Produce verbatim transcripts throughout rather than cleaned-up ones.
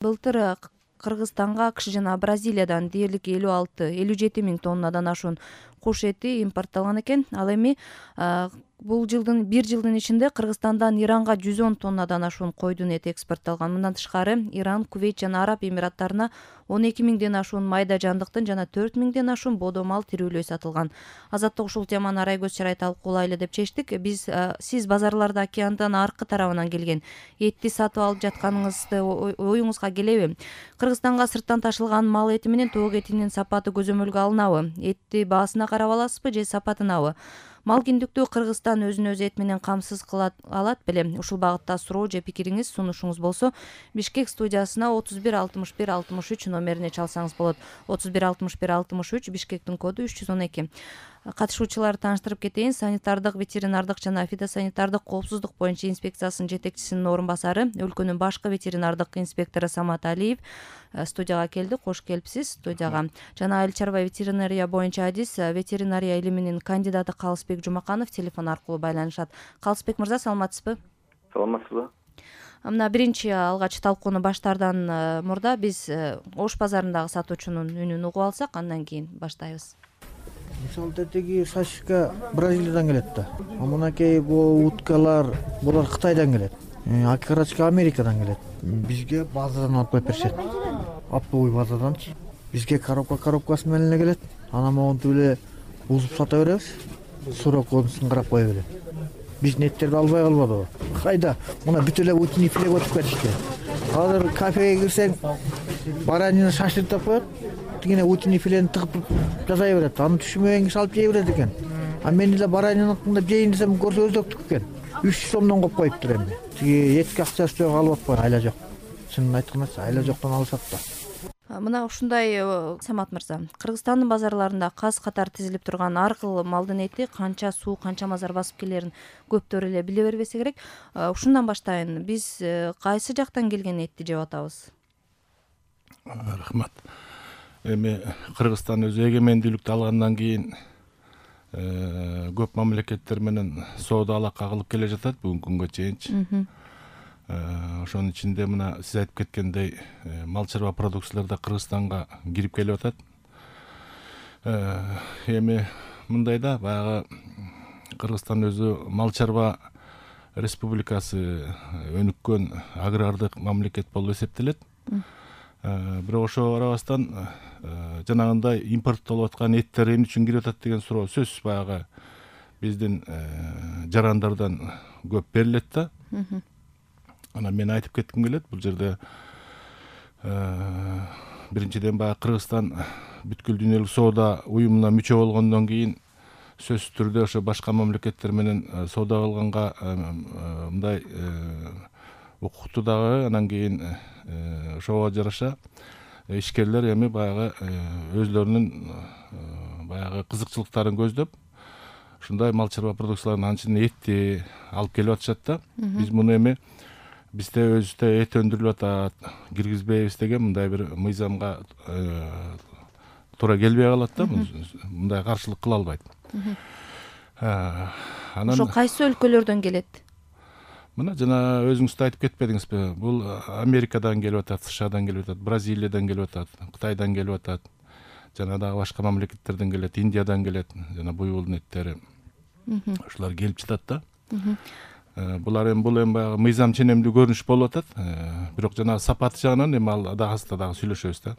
Былтыр Кыргызстанга АКШ жана Бразилиядан дээрлик элүү алты элүү жети миң тоннадан ашуун куш эти импортталган экен. Ал эми бул жылдын бир жылдын ичинде Кыргызстандан Иранга жүз он тоннадан ашуун койдун эти экспортталган. Мындан тышкары Иран, Кувейт жана Араб Эмираттарына он эки миңден ашуун майда жандыктын жана төрт миңден ашуун бодо мал тирүүлөй сатылган. Азаттык ушул теманы арай көз чарай талкуулайлы деп чечтик. Биз сиз базарларда океандын аркы тарабынан келген этти сатып алып жатканыңызды оюңузга келеби? Кыргызстанга сырттан ташылган мал эти менен тоок этинин сапаты көзөмөлгө алынабы? Этти баасына карап аласызбы же сапатынабы? Мал киндиктүү Кыргызстан өзүн өзү эт менен камсыз кыла алат беле? Ушул багытта суроо же пикириңиз, сунушуңуз болсо Бишкек студиясына отуз бир алтымыш бир алтымыш үч номерине чалсаңыз болот. отуз бир алтымыш бир алтымыш үч, Бишкектин коду үч жүз он эки. Катышуучуларды тааныштырып кетейин. Санитардык, ветеринардык жана фитосанитардык коопсуздук боюнча инспекциясынын жетекчисинин орун басары, өлкөнүн башкы ветеринардык инспектору Самат Алиев студияга келди. Кош келипсиз студияга. Жана айыл чарба ветеринария боюнча адис, ветеринария илиминин кандидаты Калысбек Жумаканов телефон аркылуу байланышат. Калысбек мырза, саламатсызбы? Саламатсызбы? Мына биринчи алгач талкууну баштаардан мурда биз Ош базарындагы сатуучунун үнүн угуп алсак, андан кийин баштайбыз. Мисалы тетеги сашка Бразилиядан келет да. А мынакей бул уткалар булар Кытайдан келет. Акарачка Америкадан келет. Бизге базадан алып коюп беришет. Оптовый базаданчы. Бизге коробка коробкасы менен эле келет. Анан могунтип эле узуп сата беребиз. Сурок конусун карап кое берет. Биздин эттерди албай калбадыбы? Кайда? Мына бүт эле утиний филе өтүп кетишти. Азыр кафеге кирсең, баранины шашлыктап коет. Тигине утиний филени тыгып жасай берет. Аны түшүнбөгөн киши алып жей берет экен. А мен эле баранины кындап жейин десем, көрсө өздөктүк экен. үч жүз сомдон коюп коюптур эми. Тиги этке акчасы жок, алып атпай, айла жок. Чынын айтканда айла жоктон алышат да. Мына ушундай, Самат мырза, Кыргызстандын базарларында каз катары тизилип турган ар кыл малдын эти канча суу, канча мазар басып келерин көптөр эле биле бербесе керек. Ушундан баштайын. Биз кайсы жактан келген этти жеп атабыз? Рахмат. Эми Кыргызстан өзү эгемендүүлүктү алгандан кийин көп мамлекеттер менен соода алака кылып келе жатат бүгүнкү күнгө чейинчи. Ошонун ичинде мына сиз айтып кеткендей мал чарба продукциялар да Кыргызстанга кирип келип атат. Эми мындай да, баягы Кыргызстан өзү мал чарба республикасы, өнүккөн агрардык мамлекет болуп эсептелет. Бирок ошого карабастан жанагындай импорттолуп аткан эттер эмне үчүн кирип атат деген суроо сөзсүз баягы биздин жарандардан көп берилет да. Анан мен айтып кетким келет, бул жерде биринчиден баягы Кыргызстан бүткүл дүйнөлүк соода уюмуна мүчө болгондон кийин сөзсүз түрдө ошо башка мамлекеттер менен соода кылганга мындай укукту дагы, анан кийин ошого жараша ишкерлер эми баягы өзлөрүнүн баягы кызыкчылыктарын көздөп ушундай мал чарба продукцияларын анын ичинде этти алып келип атышат да. Биз муну эми бизде өзүбүздө эт өндүрүлүп атат, киргизбейбиз деген мындай бир мыйзамга туура келбей калат да. Мындай каршылык кыла албайт. Анан ошо кайсы өлкөлөрдөн келет? Мына жана өзүңүз да айтып кетпедиңизби? Бул Америкадан келип атат, США-дан келип атат, Бразилиядан келип атат, Кытайдан келип атат. Жана дагы башка мамлекеттерден келет, Индиядан келет, жана буйволдун эттери. Ушулар келип жатат да. Булар эми бул эми баягы мыйзам ченемдүү көрүнүш болуп атат. Бирок жана сапаты жагынан эми ал дагыста дагы сүйлөшөбүз да.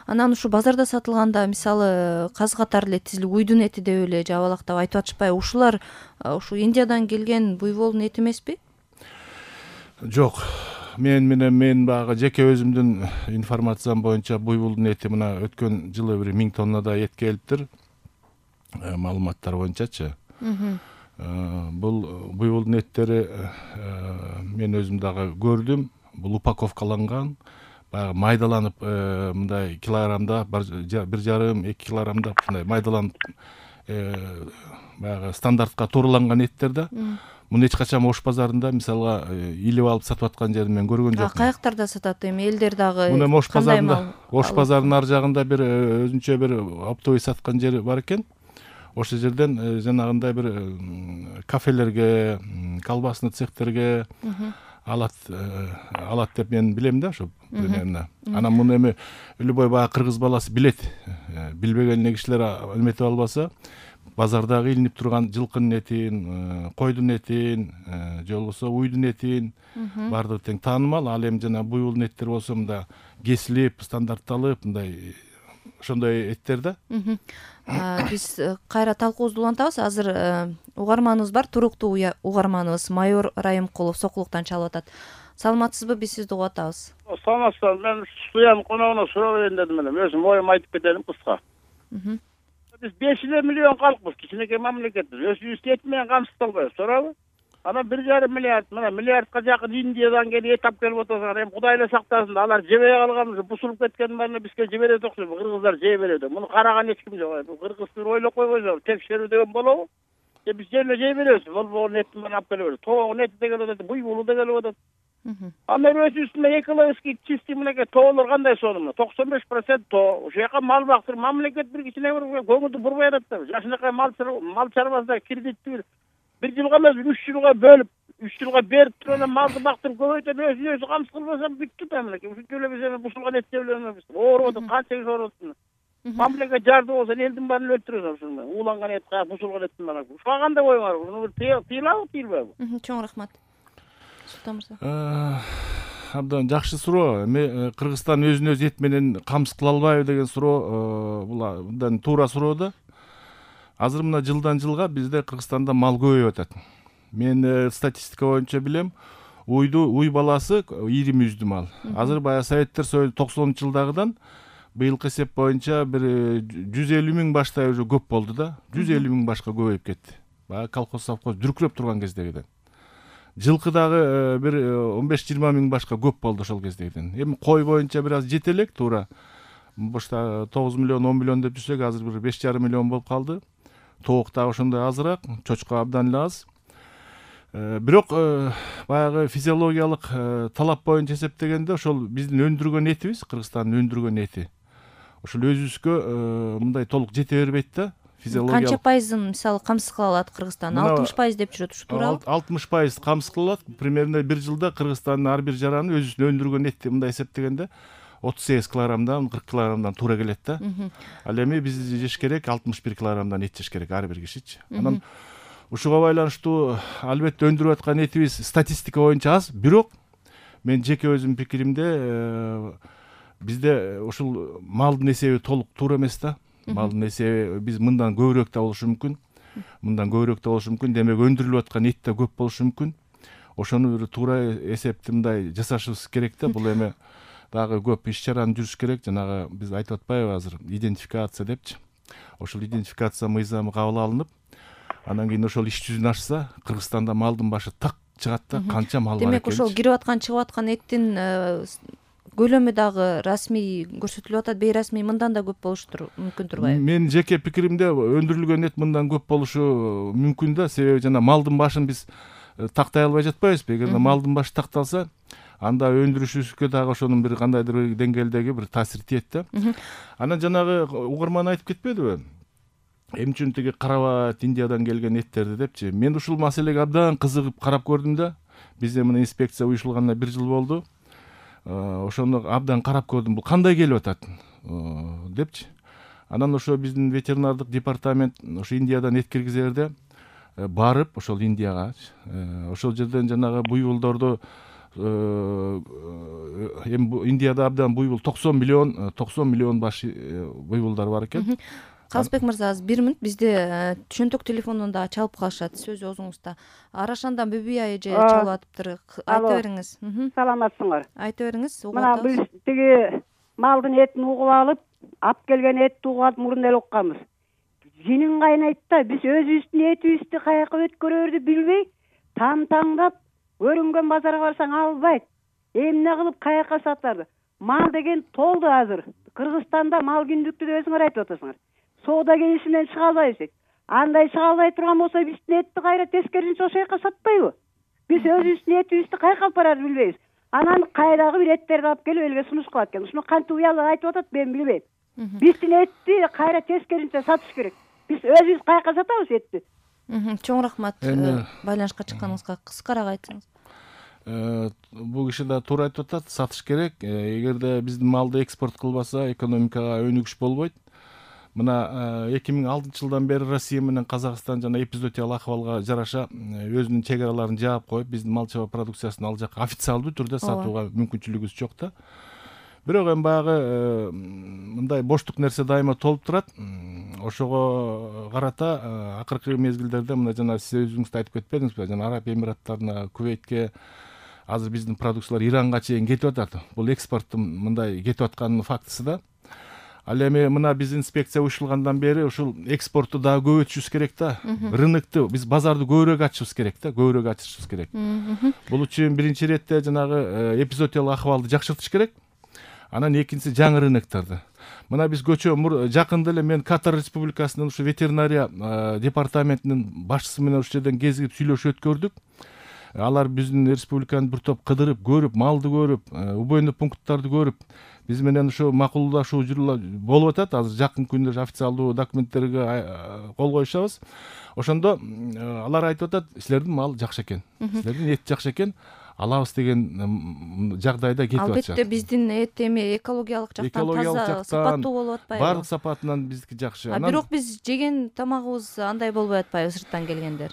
Анан ушу базарда сатылганда мисалы каз катары эле тизилип, уйдун эти деп эле жабалактап айтып атышпайбы? Ушулар ушу Индиядан келген буйволдун эти эмеспи? Жок. Мен менен мен баягы жеке өзүмдүн информациям боюнча буйволдун эти мына өткөн жылы бир миң тоннада эт келиптир. Маалыматтар боюнчачы. Бул буйволдун эттери мен өзүм дагы көрдүм. Бул упаковкаланган, баягы майдаланып мындай килограммда бир жарым эки килограммда мындай майдаланып баягы стандартка туураланган эттер да. Муну эч качан Ош базарында мисалга илип алып сатып аткан жерин мен көргөн жокмун. Каяктарда сатат эми элдер дагы? Муну Ош базарында, Ош базарынын ар жагында бир өзүнчө бир оптовый саткан жери бар экен. Ошол жерден жанагындай бир кафелерге, колбасный цехтерге, алат алат деп мен билем да ошо примерно. Анан муну эми любой баягы кыргыз баласы билет. Билбеген эле кишилер эметип албаса, базардагы илинип турган жылкынын этин, койдун этин, же болбосо уйдун этин баардыгы тең таанымал. Ал эми жана буйволдун эттери болсо мында кесилип, стандартталып, мындай ошондой эттер да. Биз кайра талкуубузду улантабыз. Азыр угарманыбыз бар, туруктуу угарманыбыз майор Райымкулов Сокулуктан чалып атат. Саламатсызбы? Биз сизди угуп атабыз. Саламатсызбы. Мен студиянын коногуна суроо берейин дедим эле. Өзүм оюмду айтып кетелим кыска. Биз беш элүү миллион калкпыз, кичинекей мамлекетпиз. Өзүбүздү эт менен камсыздалбайбыз, туурабы? Анан бир жарым миллиард, мына миллиардка жакын Индиядан келип эт алып келип атасыңар. Эми Кудай эле сактасын, алар жебей калганбыз, бусулуп кеткендин баарын бизге жиберет окшойт. Кыргыздар жей берет. Муну караган эч ким жок. Бул кыргызды ойлоп койбойсуңар. Текшерүү деген болобу? Же биз жерде жей беребиз? Болбогон этти менен алып келип беребиз. Тоогун эти де келип атат, буйволу да келип атат. Анан өзүбүздүн экологический чистый мынакей тоолор кандай сонун? токсон беш процент тоо. Ошол жака мал бактыр, мамлекет бир кичине бир көңүлдү бурбай атат да. Жашынакай мал мал чарбасына кредитти бир жылга эмес, үч жылга бөлүп, үч жылга берип туруп анан малды бактырып көбөйтүп, өзү өзү камсыз кылбаса бүттү мамлекет. Ушинтип эле биз эми бузулган эт жеп элебиз. Ооруп атат, канча киши ооруп атат. Мамлекет жарды болсо элдин баарын өлтүрөт ошондой. Ууланган эт, бузулган эттин баары. Ушуга кандай коюңар? Уну тыйлабы, тыйлбайбы? Чоң рахмат. Султан мырза. Абдан жакшы суроо. Эми Кыргызстан өзүн өзү эт менен камсыз кыла албайбы деген суроо бул абдан туура суроо да. Азыр мына жылдан жылга бизде Кыргызстанда мал көбөйүп атат. Мен статистика боюнча билем, уйду уй баласы ийрим үздү мал. Азыр баягы Советтер Союзу токсонунчу жылдагыдан быйылкы эсеп боюнча бир жүз элүү миң баштай уже көп болду да. жүз элүү миң башка көбөйүп кетти. Баягы колхоз совхоз дүркүрөп турган кездегиден. Жылкы дагы бир он беш жыйырма миң башка көп болду ошол кездегиден. Эми кой боюнча бир аз жете элек туура. Башта тогуз миллион, он миллион деп жүрсөк, азыр бир беш жарым миллион болуп калды. Тоок дагы ошондой азыраак, чочко абдан эле аз. Бирок баягы физиологиялык талап боюнча эсептегенде ошол биздин өндүргөн этибиз, Кыргызстандын өндүргөн эти ошол өзүбүзгө мындай толук жете бербейт да. Физиологиялык канча пайызын мисалы камсыз кыла алат Кыргызстан? алтымыш пайыз деп жүрөт, ушу туурабы? алтымыш пайыз камсыз кыла алат. Примерно бир жылда Кыргызстандын ар бир жараны өзүнүн өндүргөн эти мындай эсептегенде отуз сегиз килограммдан кырк килограммдан туура келет да. Ал эми биз жеш керек алтымыш бир килограммдан эт жеш керек ар бир кишичи. Анан ушуга байланыштуу албетте өндүрүп аткан этибиз статистика боюнча аз, бирок мен жеке өзүмдүн пикиримде бизде ушул малдын эсеби толук туура эмес да. Малдын эсеби биз мындан көбүрөөк да болушу мүмкүн. Мындан көбүрөөк да болушу мүмкүн. Демек өндүрүлүп аткан эт да көп болушу мүмкүн. Ошону бир туура эсепти мындай жасашыбыз керек да. Бул эми дагы көп иш чараны жүрүш керек. Жанагы биз айтып атпайбы азыр идентификация депчи. Ошол идентификация мыйзамы кабыл алынып, анан кийин ошол иш жүзүнө ашса, Кыргызстанда малдын башы так чыгат да, канча мал бар экен. Демек ошол кирип аткан, чыгып аткан эттин көлөмү дагы расмий көрсөтүлүп атат, бейрасмий мындан да көп болуштур мүмкүн турбайбы? Мен жеке пикиримде өндүрүлгөн эт мындан көп болушу мүмкүн да, себеби жана малдын башын биз тактай албай жатпайбызбы? Эгер малдын башы такталса, анда өндүрүшүбүзгө дагы ошонун бир кандайдыр бир деңгээлдеги бир таасир тиет да. Анан жанагы угарман айтып кетпедиби? Эмне үчүн тиги карабат Индиядан келген эттерди депчи. Мен ушул маселеге абдан кызыгып карап көрдүм да. Бизде мына инспекция уюшулганына бир жыл болду. Ошону абдан карап көрдүм. Бул кандай келип атат депчи. Анан ошо биздин ветеринардык департамент ошо Индиядан эт киргизерде барып, ошол Индияга ошол жерден жанагы буйволдорду эми Индияда абдан буйвол токсон миллион токсон миллион баш буйволдар бар экен. Калысбек мырза, азыр бир мүнөт бизде чөнтөк телефондон дагы чалып калышат. Сөзү өзүңүздө. Арашандан Бүбүй айы же чалып атыптыр. Айта бериңиз. Саламатсыңар. Айта бериңиз. Мына биз тиги малдын этин угуп алып, алып келген этти угуп алып мурун эле укканбыз. Жинин кайнайт да, биз өзүбүздүн этибизди каяка өткөрөрдү билбей, там-таңдап, өрүнгөн базарга барсаң албайт. Эмне кылып каяка сатарды? Мал деген толду азыр. Кыргызстанда мал күндүктү деп өзүңөр айтып атасыңар. Соода келишимден чыга албайбыз. Андай чыга албай турган болсо биздин этти кайра тескерисинче ошол жака сатпайбы? Биз өзүбүздүн этибизди каяка алып барарды билбейбиз. Анан кайдагы бир эттерди алып келип элге сунуш кылат экен. Ушуну кантип уялып айтып атат, мен билбейм. Биздин этти кайра тескерисинче сатыш керек. Биз өзүбүз каяка сатабыз этти? Чоң рахмат байланышка чыкканыңызга. Кыскараак айтсаңыз. Бул киши да туура айтып атат, сатыш керек. Эгерде биздин малды экспорт кылбаса, экономикага өнүгүш болбойт. Мына эки миң алтынчы жылдан бери Россия менен Казакстан жана эпизоотиялык акыбалга жараша өзүнүн чек араларын жаап коюп, биздин мал чабар продукциясын ал жака официалдуу түрдө сатууга мүмкүнчүлүгүбүз жок да. Бирок эми баягы мындай боштук нерсе дайыма толуп турат. Ошого карата акыркы мезгилдерде мына жана сиз өзүңүз да айтып кетпедиңизби, жана Араб Эмираттарына, Кувейтке, азыр биздин продукциялар Иранга чейин кетип атат. Бул экспорттун мындай кетип атканынын фактысы да. Ал эми мына биз инспекция уюштурулгандан бери ушул экспортту дагы көбөйтүшүбүз керек да. Рынокту, биз базарды көбүрөөк ачышыбыз керек да, көбүрөөк ачышыбыз керек. Бул үчүн биринчи иретте жанагы эпизоотиялык акыбалды жакшыртыш керек. Анан экинчиси жаңы рыноктарды. Мына биз көчө жакында эле мен Катар Республикасынын ушу ветеринария департаментинин башчысы менен ушул жерден кезигип сүйлөшүп өткөрдүк. Алар биздин республиканы бир топ кыдырып, көрүп, малды көрүп, убойный пункттарды көрүп, биз менен ушу макулдашуу болуп атат. Азыр жакын күндө официалдуу документтерге кол коюшабыз. Ошондо алар айтып атат, силердин мал жакшы экен, силердин эт жакшы экен, алабыз деген жагдайда кетип атышат. Албетте биздин эт эми экологиялык жактан таза, сапаттуу болуп атпайбы? Баардык сапатынан биздики жакшы. А бирок биз жеген тамагыбыз андай болбой атпайбы, сырттан келгендер?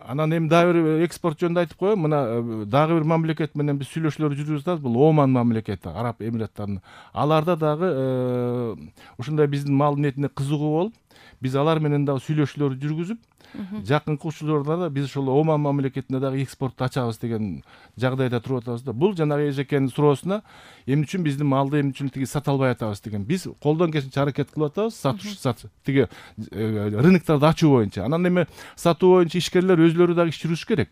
Анан эми дагы бир экспорт жөнүндө айтып коеюн. Мына дагы бир мамлекет менен биз сүйлөшүүлөр жүргүзүп атабыз. Бул Оман мамлекети, Араб Эмираттарынын. Аларда дагы ушундай биздин малдын этине кызыгуу болуп, биз алар менен дагы сүйлөшүүлөр жүргүзүп, жакынкы учурларда да биз ошол Оман мамлекетине дагы экспортту ачабыз деген жагдайда туруп атабыз да. Бул жанагы эжекенин суроосуна эмне үчүн биздин малды эмне үчүн тиги сата албай атабыз деген. Биз колдон келишинче аракет кылып атабыз, сатыш тиги рыноктарды ачуу боюнча. Анан эми сатуу боюнча ишкерлер өзүлөрү дагы иш жүрүш керек.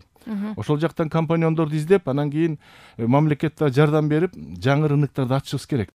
Ошол жактан компаньондорду издеп, анан кийин мамлекет да жардам берип, жаңы рыноктарды ачышыбыз керек.